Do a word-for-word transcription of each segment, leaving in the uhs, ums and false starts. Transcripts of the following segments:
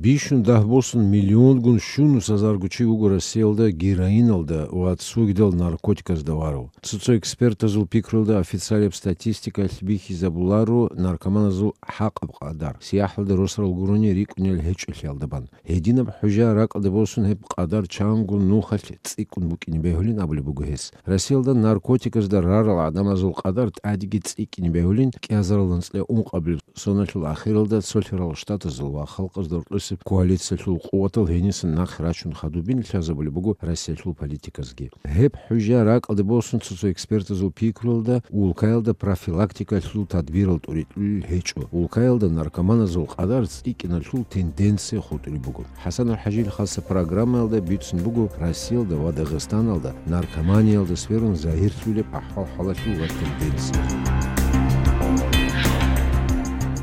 Бищун дагь босун миллионгун щунус азарго чи вуго Россиялда героиналда ва цогидал наркотиказда варав. Цо-цо экспертазул пикруялда, официалияб статистикалъ бихьизабуларо наркоманазул хӀакъаб къадар, сияхӀалда росарал гурони рикӀкӀунел гьечӀолъиялда бан. Гьединаб хӀужа ракӀалде босун гьеб къадар чанго нухалъ цӀикӀкӀун букӀине бегьулин абулеб буго гьес. Россиялда наркотиказда рарал гӀадамазул къадар тӀадеги цӀикӀкӀине бегьулин кӀиазарал анцӀила ункъабилеб соналъул ахиралда Цолъарал Штатазул ва Халкъазда рокьосеб коалициялъул къуватал гьенисан нахъе рачун хадубин лъазабулеб буго Россиялъул политиказги. Гьеб хӀужа ракӀалде босун цо-цо экспертазул пикруялда, улкаялда профилактикалъул тадбирал тӀуритӀулел гьечӀо. Улкаялда наркоманазул къадар цӀикӀкӀиналъул тенденция хутӀулеб буго. ХӀасан АлхӀажил хаса программаялда бицун буго Россиялда ва Дагъистаналда наркоманиялда сверун загьирлъулеб ахӀвал-хӀалалъул ва тенденция.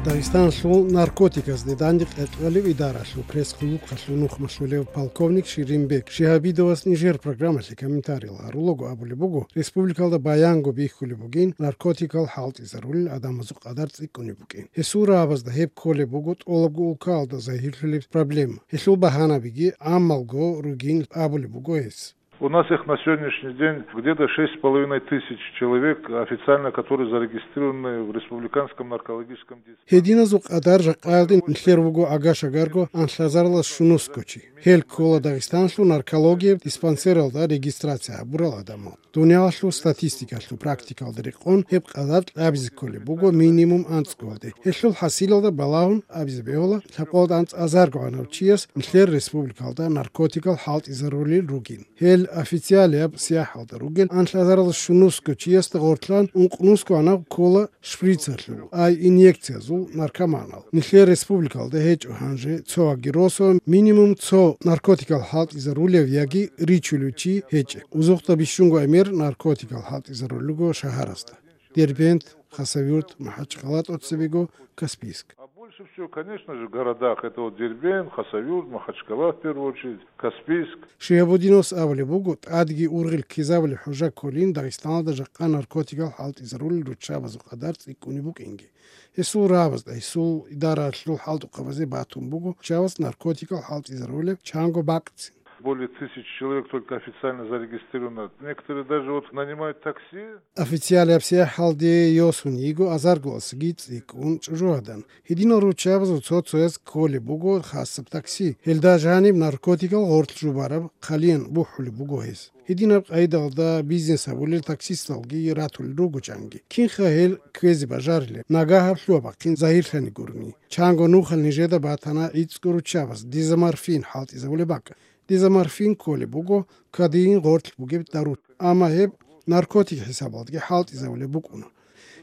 Дагъистаналъул наркотиказде дандекъ кьолеб идаралъул пресс-клубалъул нухмалъулев полковник Ширинбек Шигьабидовас нижер программалъе комментариял гьарулаго абулеб буго, республикалда баянго бихьулеб бугин наркотикал хӀалтӀизарулел гӀадамазул къадар цӀикӀкӀунеб букӀин. Гьесул рагӀабазда гьеб кколеб буго тӀолабго улкаялда загьирлъулеб проблема. Гьелъул багьанабиги гӀаммалго ругин абулеб буго гьес. У нас их на сегодняшний день где-то шесть с половиной тысяч человек официально, которые зарегистрированы в республиканском наркологическом диспансере. Гьединазул къадар жакъаялде нилъер вуго агашагарго анлъазаралас щунусго чи. Гьел ккола Дагъистаналъул наркологияб диспансералда регистрация гьабурал гӀадамал. Дуниялалъул статистикалъул практикалда рекъон гьеб къадар кьабизе кколеб буго минимум анцӀгоялде. Гьелъул хӀасилалда балагьун абизе бегьула, лъабкъоялда анцӀазарго гӀанав чияс нилъер республикалда наркотикал хӀалтӀизарулел ругин. Гьел официалияб сияхӀалда ругел анлъазаралас щунусго чиясда гъортлъан ункънусго гӀанав ккола шприцалъул, ай инъекциязул наркоманал. Нилъер республикалда гьечӀо гьанже цо вагиросо минимум цо наркотикал хӀалтӀизарулев яги ричулев чи гьечӀеб. Узухъда бищунго гӀемер наркотикал хӀалтӀизарулел руго шагьарасда: Дербент, Хасавюрт, МахӀачхъала, тӀоцебего Каспийск. А больше всего, конечно же, в городах. Это вот Дербент, Хасавюрт, Махачкала в первую очередь, Каспийск. Шигьабудиновас абулеб буго, тӀадги ургъел ккезабулеб хӀужа кколин Дагъистаналда жакъа наркотикал хӀалтӀизарулел руччабазул къадар цӀикӀкӀунеб букӀинги. Гьесул рагӀабазда, гьесул идаралъул хӀалтӀухъабазе батун буго руччабаз наркотикал хӀалтӀизарулеб чанго бакӀцин. Более тысячи человек только официально зарегистрировано. Некоторые даже вот нанимают такси. Официалияб сияхӀалде йосун йиго азаргаласаги цӀикӀкӀун чӀужугӀадан. Гьединал руччабазул цо-цояз кколеб буго хасаб такси. Гьелда жаниб наркотикал гъорлъ жубараб хъалиян бухӀулеб буго гьес. Гьединаб къайдалда бизнес гьабулел таксисталги ратулел руго чанги. Кинха гьел кквезе бажарилеб, нагагь гьаб лъугьа-бахъин загьирлъани гурони. Чанго нухал нижеда батана гӀицӀго руччабаз дезоморфин хӀалтӀизабулеб бакӀ. Дезоморфин кколеб буго кодеин гъорлъ бугеб дару, амма гьеб наркотик хӀисабалдаги хӀалтӀизабулеб букӀуна.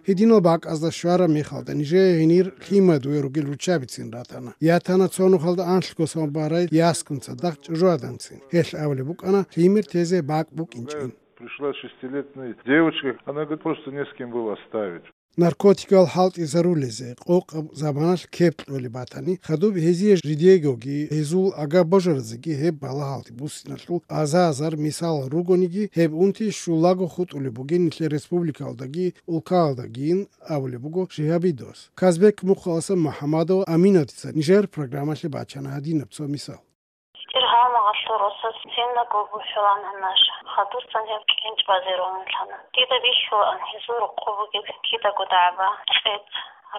Гьединал бакӀазда щвараб мехалда нижее гьенир лъимадуе ругел руччабицин ратана. Ятана цо нухалда анлъго самобарай яскун цадахъ чӀужугӀаданцин. Гьелъ абулеб букӀана лъимер тезе бакӀ букӀинчӀин. Пришла шестилетняя девочка, она говорит, просто не с кем было оставить. Наркотикал хӀалтӀизарулезе къокъаб заманалъ кеп кьолеб батани, хадуб гьезие жидегоги, гьезул агаб-божаразеги гьеб балагьалде буссиналъул аза-азар мисалал ругониги, гьеб унти щулаго хутӀулеб бугин нилъер республикалдаги улкаялдагин абулеб буго Шигьабидовас. Казбек мухъаласан МухӀамадова Аминатица нижер программалъе бачана гьадинаб цо мисал. ГьитӀир гьалмагъалъул росас циндаго бухӀулан гьанаш, хадусан гьеб кӀенчӀ базе рогьунлъана. Дида бихьулаан гьезул рокъоб бугеб кидаго дагӀба, кьец,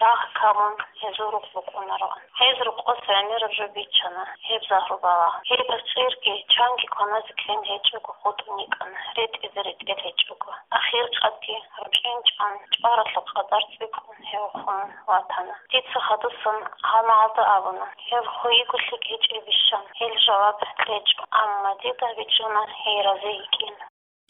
рагъ камун гьезул рукъ букӀунароан. Гьез рокъос гӀемераб жо биччана, гьеб загьру балагьун. Гьеб цӀирги чанги кваназе ккен гьечӀого хутӀун йикӀана, ретӀизе ретӀел гьечӀого. Ахиркъадги, рукӀин чӀван, чӀваралъул къадар цӀикӀкӀун гьев хун ватана. Дица хадусан гьалмагъалда абуна, гьев хвейиго лъикӀ гьечӀебищан, гьел жаваб кьечӀо, амма дида бичӀчӀуна гьей рази йикӀин.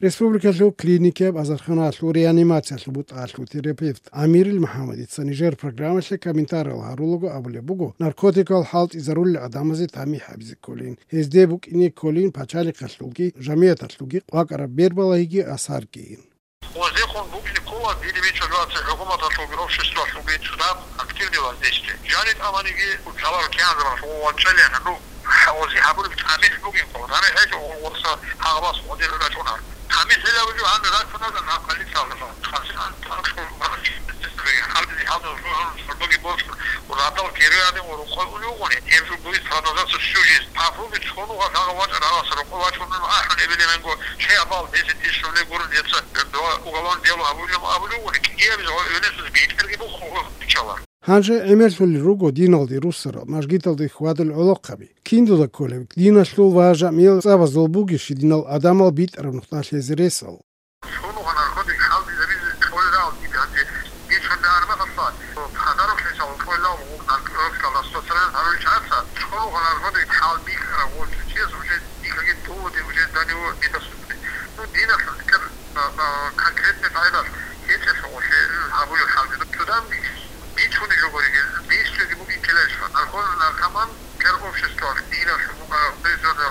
Республикалъул клиникаяб азарханалъул реанимациялъул бутӀалъул терапевт Амирил МухӀамадица нижер программалъе комментариял гьарулаго абулеб буго, наркотикал хӀалтӀизарулел гӀадамазе тамихӀ гьабизе кколин, гьезде букӀине кколин пачалихъалъулги жамигӀаталъулги къвакӀараб бербалагьиги асаргийин. Гъозехун букӀине ккола дир бичӀчӀулаца хӀукуматалъулги обществалъулги цадахъ активный воздействие. Жаниб абаниги, цалар кӀианзабалъ гъов вачӀалихъ, ну, гъози гьабулеб тамихӀ бугин ккола. ТамихӀ гьечӀо, гъорса гьагъабас гъодир рачӀуна. ТамихӀ гьелаб жо гьанна рачӀуна, на полициялда. Хасил ан танкшул гьабизи гьаб жо жо жо боги бос радал герой гьадин ва рукъой ули уго. Гьеб жо будет продолжаться всю жизнь. Папуги цо нугӀа лъагӀав вачӀа рагъаса рокъов вачун ахӀун эбел-эменго чӀей абал десять тысяч рублей гурун, дица дова уголовное дело гьабулеб абулев, кӀиабизе гьев эбелалъуз битӀарги бухъун биччалар. Гьанже гӀемерлъулел руго диналде руссарал, мажгиталде хьвадул гӀолохъаби. Киндуда кколеб диналъул ва жамигӀил цӀабазул бугищ динал гӀадамал битӀараб нухда лъезе ресал? Цо нугӀа наркотик хӀалбизабизе кӀоларал дида гьанже. Ичун дагьармахалъа, подарок лъечӀал кӀоларал гъуб наркотикал распространять гьарулел чагӀаца, цо нугӀа наркотик хӀалбихьарав гъочӀ чияс уже дихаги доводе уже до него не доступны. Ну, диналъул лъикӀаб, а, а, конкретный пайдалъ гьечӀелъул гъолъе гьабулеб хӀалби. Цо дам бичуни жо гуриги, дис жоги бугин ккеларищха? Наркоз-, наркоман кер обществалъ диналъул букӀараб бездзорда,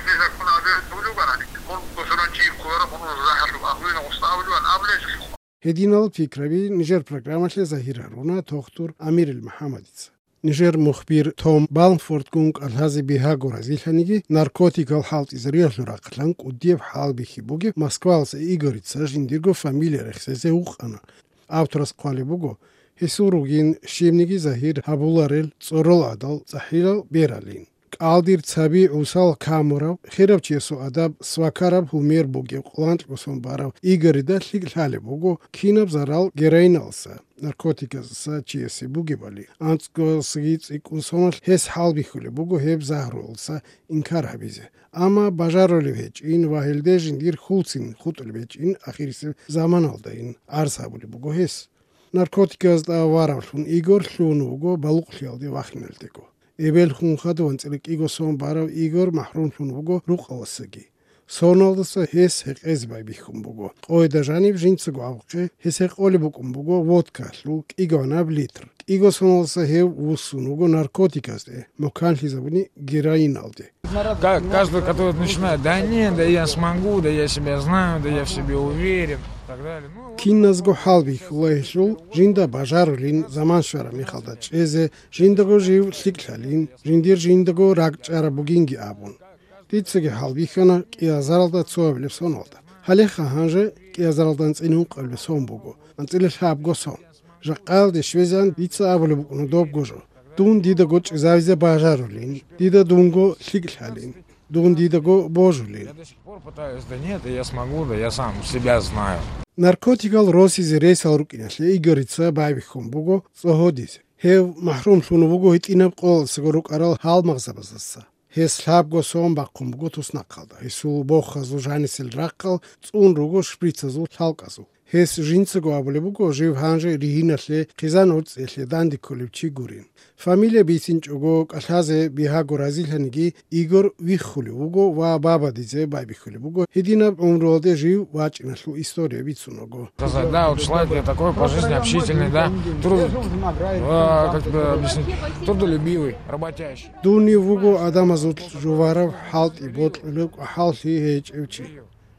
безаккун абизе гьабулев вукӀарани, мун бусурбанчи кколараб, мун рахӀалъуб агьлуйна гъуста абулеван абулезулъухъ. Гьединал пикраби нижер программалъе загьир гьаруна тохтур Амирил МухӀаммадица. Нижер мухбир Том Балмфордгун кӀалъазе бигьаго разилъаниги, наркотикал хӀалтӀизариялъул рахъалъан кӀудияб хӀалбихьи бугеб Москваласа Игорица жиндирго фамилия рехсезе вукъана. Авторас хъвалеб буго, гьесул ругин щибниги загьир гьабуларел цӀорол гӀадал цӀахӀилал бералин. КӀалдир цаби гӀусал камурав, хирав чиясул адаб свакараб гьумер бугев къоланкьго сон барав Игорида лъикӀ лъалеб буго кинаб зарал героиналса, наркотиказаса чиясе бугебали, анцӀгоялсаги цӀикӀкӀун соналъ гьес хӀалбихьулеб буго гьеб загьруялса инкар гьабизе. Амма бажарулев гьечӀин ва гьелде жиндир хьулцин хутӀулеб гьечӀин ахирисеб заманалдайин гӀарз гьабулеб буго гьес. Наркотиказда варавлъун Игор лъугьун вуго балугълъиялде вахиналдего. Эбел хун хадув анцӀила кӀиго сон барав Игор махӀрумлъун вуго рукъаласаги. Соналдаса гьес гьекъезе байбихьун буго. Къойда жаниб жинцаго абухъе гьес гьекъолеб букӀун буго водкалъул кӀигаванаб литр. КӀиго соналдаса гьев вуссун вуго наркотиказде, муканлъизабуни героиналде. Ка-, каждый, который начинает: «Да нет, да я смогу, да я себя знаю, да я в себе уверен», и так далее. Ну, вот. Киназго хӀалбихьула гьелъул, жинда бажарулин заман щвараб мехалда чӀезе, жиндаго жив лъикӀлъалин, жиндир жиндаго ракӀчӀараб бугинги абун. Дицаги хӀалбихьана кӀиазаралда цоабилеб соналда. Гьалеха гьанже кӀиазаралда анцӀила ункъабилеб сон буго, анцӀила лъабго сон. Жакъаялде щвезегӀан дица абулеб букӀуна добго жо. Дун дидаго чӀезавизе бажарулин, дида дунго лъикӀлъалин, дун дидаго божулин. Я до сих пор пытаюсь: «Да нет, да я смогу, да я сам себя знаю». Наркотикал росизе ресал рукӀиналъе Игорица байбихьун буго цӀогьодизе. Гьев махӀрумлъун вуго гьитӀинаб къоялдасаго рукӀарал гьалмагъзабаздаса. Гьес лъабго сон бахъун буго туснахъалда, гьесул бохазул жанисел рахъал цӀун руго шприцазул лъалкӀазул. Гьес жинцаго абулеб буго жив гьанже ригьиналъе хъизан гӀуцӀиялъе данде кколев чи гурин. Фамилия бицинчӀого кӀалъазе бигьаго разилъаниги, Игор виххулев вуго ва бабадизе байбихьулеб буго, гьединаб гӀумруялде жив вачӀиналъул история бицун вуго. Сказать, да, вот человек я такой, по жизни общительный, да, труд-, а, как бы объяснить, трудолюбивый, работящий. Дунив вуго адамазул жуварав, хӀалтӀи бокьулев, кӀвахӀаллъи гьечӀев чи.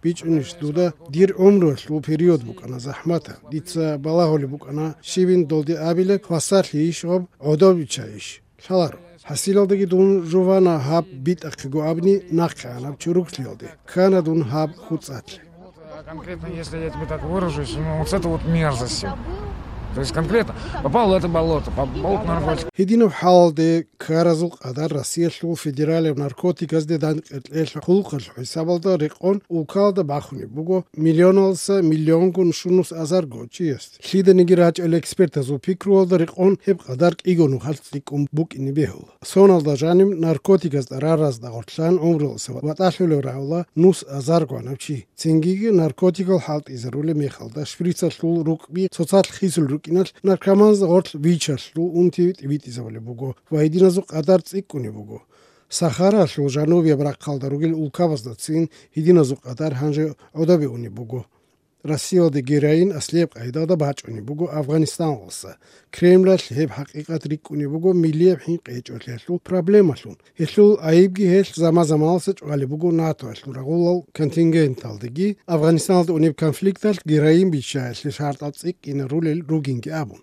БичӀунищ дуда, дир гӀумруялъул период букӀана захӀматаб, дица балагьулеб букӀана щибин долде абилеб, хвасарлъийищ гъаб, гӀодов биччайищ? Лъаларо. ХӀасилалдаги дун жувана гьаб битӀахъего абни нахъегӀанаб чуруклъиялде, ккана дун гьаб хуцӀалъе. А конкретно, если я тебе так выражусь, ну, вот с этой вот мерзостью. То есть конкретно попал в это болото, по болоту наркотиков. Гьединаб хӀалалде ккаразул къадар Россиялъул федералияб наркотиказде дандекӀараб кьелъ хъулухъалъул хӀисабалда рекъон улкалда бахунеб буго миллионалдаса миллионгун щунус азарго чиясде. Лъиданиги рачӀарал экспертазул пикруялда рекъон гьеб къадар кӀиго нухалъ цӀикӀкӀун букӀине бегьула. Соналда жаниб наркотиказ тӀараразда гъорлъан гӀумруялдаса ватӀалъулев рагӀула нус азар гванав чи. Цингиги наркотикал хӀалтӀизарулеб мехалда шприцалъул рукъби цоцалъ хисул рукӀиналъ наркоманзда гъорлъ вичалъул унти тӀибитӀизабулеб буго ва гьединазул къадар цӀикӀкӀунеб буго. Сахаралъул жанубияб рахъалда ругел улкабаздацин гьединазул къадар гьанже гӀодобе унеб буго. Россиялде героин аслияб къайдалда бачӀунеб буго Афганистаналдаса. Кремлалъ гьеб хӀакъикъат рикӀкӀунеб буго миллияб хӀинкъичӀолъиялъул проблемалъун. Гьелъул айибги гьелъ заман-заманалдаса чӀвалеб буго НАТОялъул рагъулал контингенталдеги Афганистаналда унеб конфликталъ героин биччаялъе шартӀал цӀикӀкӀинарулел ругинги абун.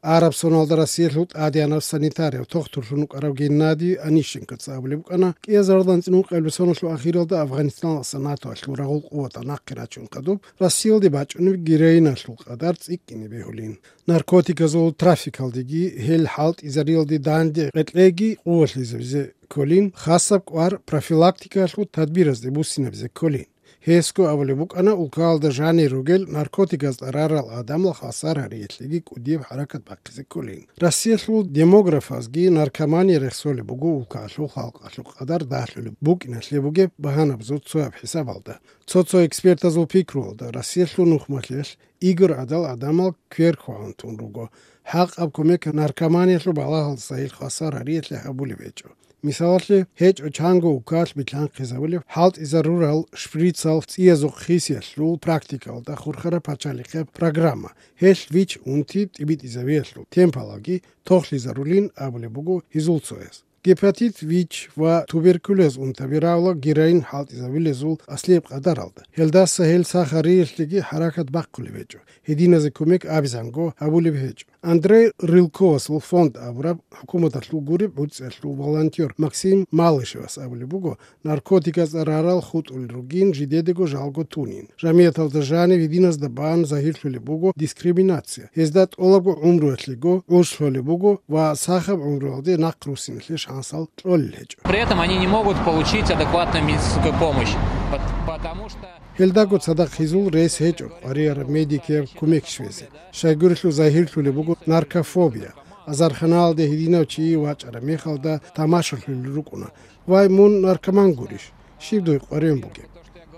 Араб соналда Россиялъул тӀадегӀанав санитарияв тохтурлъун вукӀарав Геннадий Онищенкоца абулеб букӀана, кӀиазаралда анцӀила ункъабилеб соналъул ахиралда Афганистаналдаса НАТОялъул рагъул къуватал нахъе рачун хадуб, Россиялде бачӀунеб героиналъул къадар цӀикӀкӀине бегьулин. Наркотиказул трафикалдеги гьел хӀалтӀизариялде данде къеркьеги къувалъизабизе кколин, хасаб кӀвар профилактикаялъул тадбиразде буссинабизе кколин. Гьесго абулеб букӀана, улкаялда жанир ругел наркотиказда рарал гӀадамал хвасар гьариялъеги кӀудияб хӀаракат бахъизе кколин. Россиялъул демографазги наркомания рехсолеб буго улкаялъул халкъалъул къадар дагьлъулеб букӀиналъе бугеб багьанабазул цояб хӀисабалда. Цо-цо экспертазул пикруялда, Россиялъул нухмалъиялъ игор гӀадал гӀадамал квер хвагьун тун руго. ХӀакъаб кумек наркоманиялъул балагьалдаса гьел хвасар гьариялъе гьабулеб гьечӀо. Мисалалъе, гьечӀо чанго улкаялъ билълъанхъизабулеб хӀалтӀизарурал шприцал цӀиязухъ хисиялъул практикалда хурхараб пачалихъеб программа, гьелъ вич-унти тӀибитӀизавиялъул темпалалги тохлъизарулин абулеб буго гьезул цояс. Гепатит вич ва туберкулез унтаби равла героин хӀалтӀизабилезул аслияб къадаралда. Гьелдаса гьел сахариялъеги хӀаракат бахъулеб гьечӀо, гьединазе кумек абизанго гьабулеб гьечӀо. Андрей Рылковасул фонд абураб хӀукуматалъул гуреб гӀуцӀиялъул волонтер Максим Малышевас абулеб буго, наркотиказ рарал хутӀулел ругин жидедаго жалго тунин. Жамияталда жанив гьединазда бан загьирлъулеб буго дискриминация. Гьезда тӀолабго гӀумруялъего гӀуж лъолеб буго ва сахаб гӀумруялде нахъ руссиналъе шансал кьолел гьечӀо. При этом они не могут получить адекватную медицинскую помощь, пот-, потому что Гьелдаго цадахъ гьезул рес гьечӀо къваригӀараб медикияб кумек щвезе. Щайгурелъул загьирлъулеб буго наркофобия. Азарханалде гьединав чи вачӀараб мехалда тамашалъулел рукӀуна: «Вай, мун наркоман гурищ? Щиб дуе къваригӀун бугеб?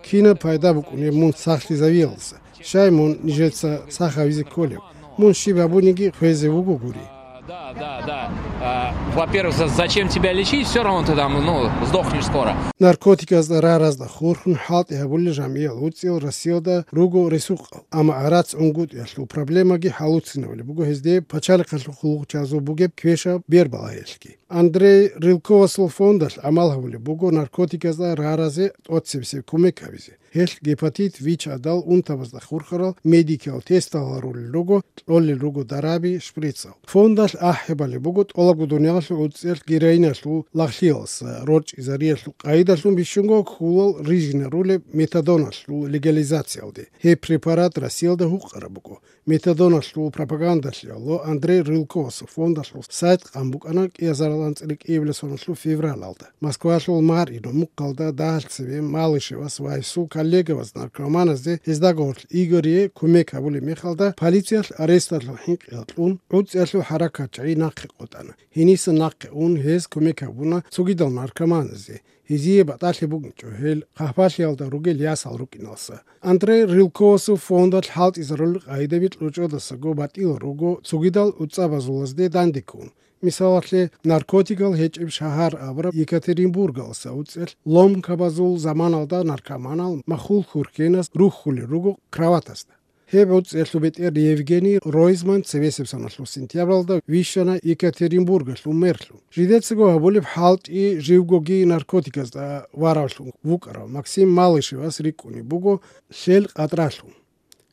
Кинаб пайда букӀунеб мун сахлъизавиялдаса? Щай мун нижеца сах гьавизе кколеб? Мун щиб гьабуниги хвезе вуго гури». Да, да, да. А, во-первых, за-, зачем тебя лечить? Всё равно ты там, ну, сдохнешь скоро. Наркотиказда раразда хурхун хӀалтӀи гьабулел жамгӀиял гӀуцӀиял Россиялда руго ресукъал, амма гӀарац-гӀунгутӀиялъул проблемаги хӀалуцинабулеб буго гьезде пачалихъалъул хъулухъчазул бугеб квешаб бербалагьиялъги. Андрей Рылковасул фондалъ гӀамал гьабулеб буго наркотиказда раразе тӀоцебесеб кумек гьабизе. Гьелъ гепатит ВИЧ гӀадал унтабазда хурхарал медикиял тестал гьарулел руго, кьолел руго дараби, шприцал. Фондалъ ахӀи балеб буго тӀолабго дуниялалъул гӀуцӀиялъ героиналъул лагълъиялдаса рорчӀизариялъул къайдалъун бищунго кколал рижинарулеб метадоналъул легализациялде. Гьеб препарат Россиялда гьукъараб буго. Метадоналъул пропагандалъе Андрей Рылковасул фондалъул сайт къан букӀана кӀиазарал анцӀила кӀиабилеб соналъул февралалда. Москвалъул Марьино мухъалда дагьал цебе Малышевас ва гьесул коллегаваз наркоманазде, гьезда гьоркьоб Игорие кумек гьабулеб мехалда, полициялъ аресталъул хӀинкъиялда кьун, гӀуцӀиялъул хӀаракатчагӀи нахъе къотӀана. Гьениса нахъе ун, гьез кумек гьабуна цогидал наркоманазде. Гьезие батӀалъи букӀинчӀо гьел хъахӀбалъиялда ругел ясал рукӀиналдаса. Андрей Рылковасул фондалъ хӀалтӀизарулел къайдаби кьучӀдасаго батӀиял руго цогидал гӀуцӀабазулазде дандеккун. Мисалалъе, наркотикал гьечӀеб шагьар абураб Екатеринбургалдаса гӀуцӀиялъ ломкабазул заманалда наркоманал махул хурхенас рухьулел руго кроватасда. Гьеб гӀуцӀиялъул бетӀер Евгений Ройзман цебесеб соналъул сентябралда вищана Екатеринбургалъул мэрлъун. Жидецаго гьабулеб хӀалтӀи живгоги наркотиказда варавлъун вукӀарав Максим Малышевас рикӀкӀунеб буго лъел къадралъун.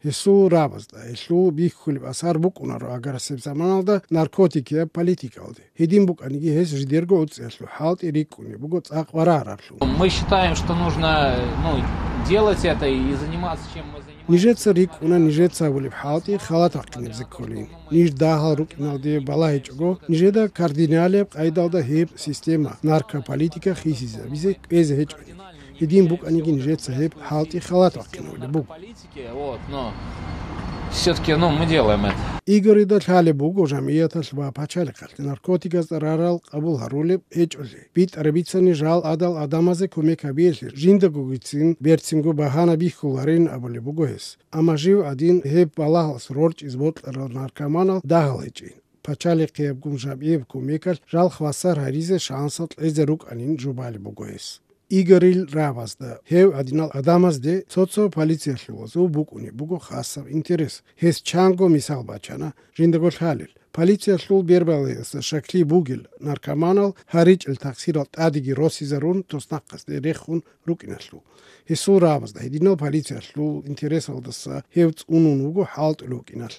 Гьесул рабазда гьелъул бихьулеб асар букӀунаро аграрасеб заманалда наркотикияб политикалде. Гьедин букӀаниги, гьес жидерго гӀуцӀиялъул хӀалтӀи рикӀкӀунеб буго цӀакъ варараблъун. Мы считаем, что нужно, ну, делать это и заниматься, чем мы занимаемся. Нижеца рикӀкӀуна нижеца гьабулеб хӀалтӀи халат вахъинабизе кколин. Ниж дагьал рукӀиналде балагьичӀого, нижеда кардиналияб къайдалда гьеб система, наркополитика хисизабизе кӀвезе гьечӀони. Гьедин букӀаниги, нижеца гьеб хӀалтӀи халат вахъинавулеб буго. Вот, но всё-таки, ну, мы делаем это. Игорида лъалеб буго жамгӀияталъ ва пачалихъалъ наркотиказ рарал къабул гьарулеб гьечӀолъи. БитӀараб бицани жал гӀадал гӀадамазе кумек гьабиялъе жиндагогицин берцинго багьана бихьуларин абулеб буго гьес. Амма жив гӀадин гьеб балагьалъ рорчӀиз бокьарал наркоманал дагьал гьечӀин. Пачалихъиябгун жамгӀияб кумекалъ жал хвасар гьаризе шансал кьезе рукӀанин жубалеб буго гьес. Игорил рабазда, гьев гӀадинал гӀадамазде цо-цо полициялъулазул букӀунеб буго хасаб интерес. Гьес чанго мисал бачана, жиндаго лъалел. Полициялъул бербалаялдаса щаклъи бугел наркоманал гьаричӀел такъсирал тӀадеги росизарун туснахъасде рехун рукӀиналъул. Гьесул рабазда гьединал полициялъул интересалдаса гьев цӀунун вуго хӀалтӀулев вукӀиналъ.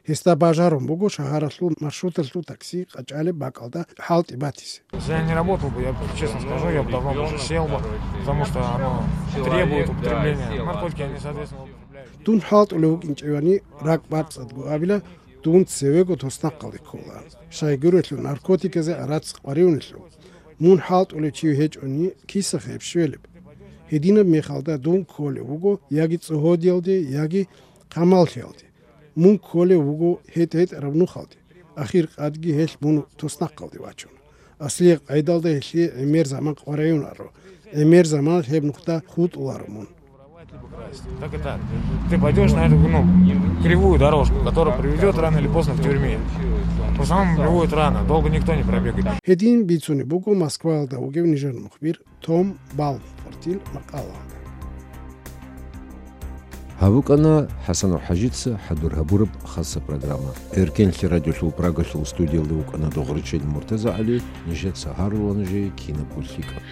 Гьесда бажарун буго шагьаралъул маршруталъул такси къачӀалеб бакӀалда хӀалтӀи батизе. Если я не работал бы, я, честно скажу, я бы давно бы уже сел бы, потому что оно требует употребления. Наркотики, они, соответственно, употребляют. Дун хӀалтӀулев вукӀинчӀевани, ракӀ бацӀцӀадго абила, дун цевего туснахъалде ккола. Щайгурелъул наркотиказе арацӀ къваригӀунелъул. Мун хӀалтӀулев чи гьечӀони, киса гьеб щвелеб? Гьединаб мехалда дун кколев вуго яги цӀогьодиялде, яги хъамаллъиялде. Мун кколев вуго гьетӀ-гьетӀараб нухалде. Ахир къадги гьелъ мун туснахъалде вачун. Аслияб къайдалда гьелъие гӀемер заман къваригӀунаро. ГӀемер заманалъ гьеб нухда хутӀуларо мун. Так и так. Ты пойдёшь на эту, ну, кривую дорожку, которая приведёт рано или поздно к тюрьме. В основном бывает рано, долго никто не пробегает. Гьедин бицунеб буго Москваялда вугев нижер мухбир Том Балмфортил макъалаялда. Гьаб букӀана ХӀасанов ХӀажица хӀадур гьабураб хаса программа. Эркенлъи радиолъул Прагалъул студиялда вукӀана Догъричил МуртазагӀали, нижеца гьарула нужее кинабго лъикӀаб.